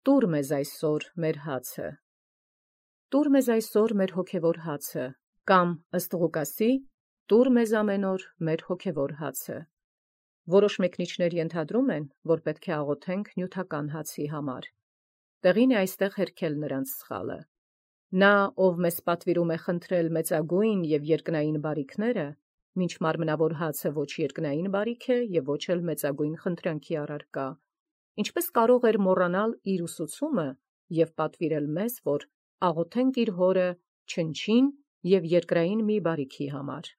Տուր մեզ այսօր մեր հացը։ Տուր մեզ այսօր մեր հոգևոր հացը, կամ ըստ Ղուկասի, տուր մեզ ամեն օր մեր հոգևոր հացը։ Որոշ մեկնիչներ ենթադրում են, որ պետք է աղոթենք նյութական հացի համար։ Տեղին է այստեղ հերքել նրանց սխալը։ Նա, ով մեզ պատվիրում է խնդրել մեծագույն և երկնային բարիքները, մինչ մարմնավոր հացը ոչ երկնային բարիք է և ոչ էլ մեծագույն խնդրանքի առարկա, ինչպես կարող էր մոռանալ իր ուսուցումը և պատվիրել մեզ, որ աղոթենք իր հորը չնչին և երկրային մի բարիքի համար։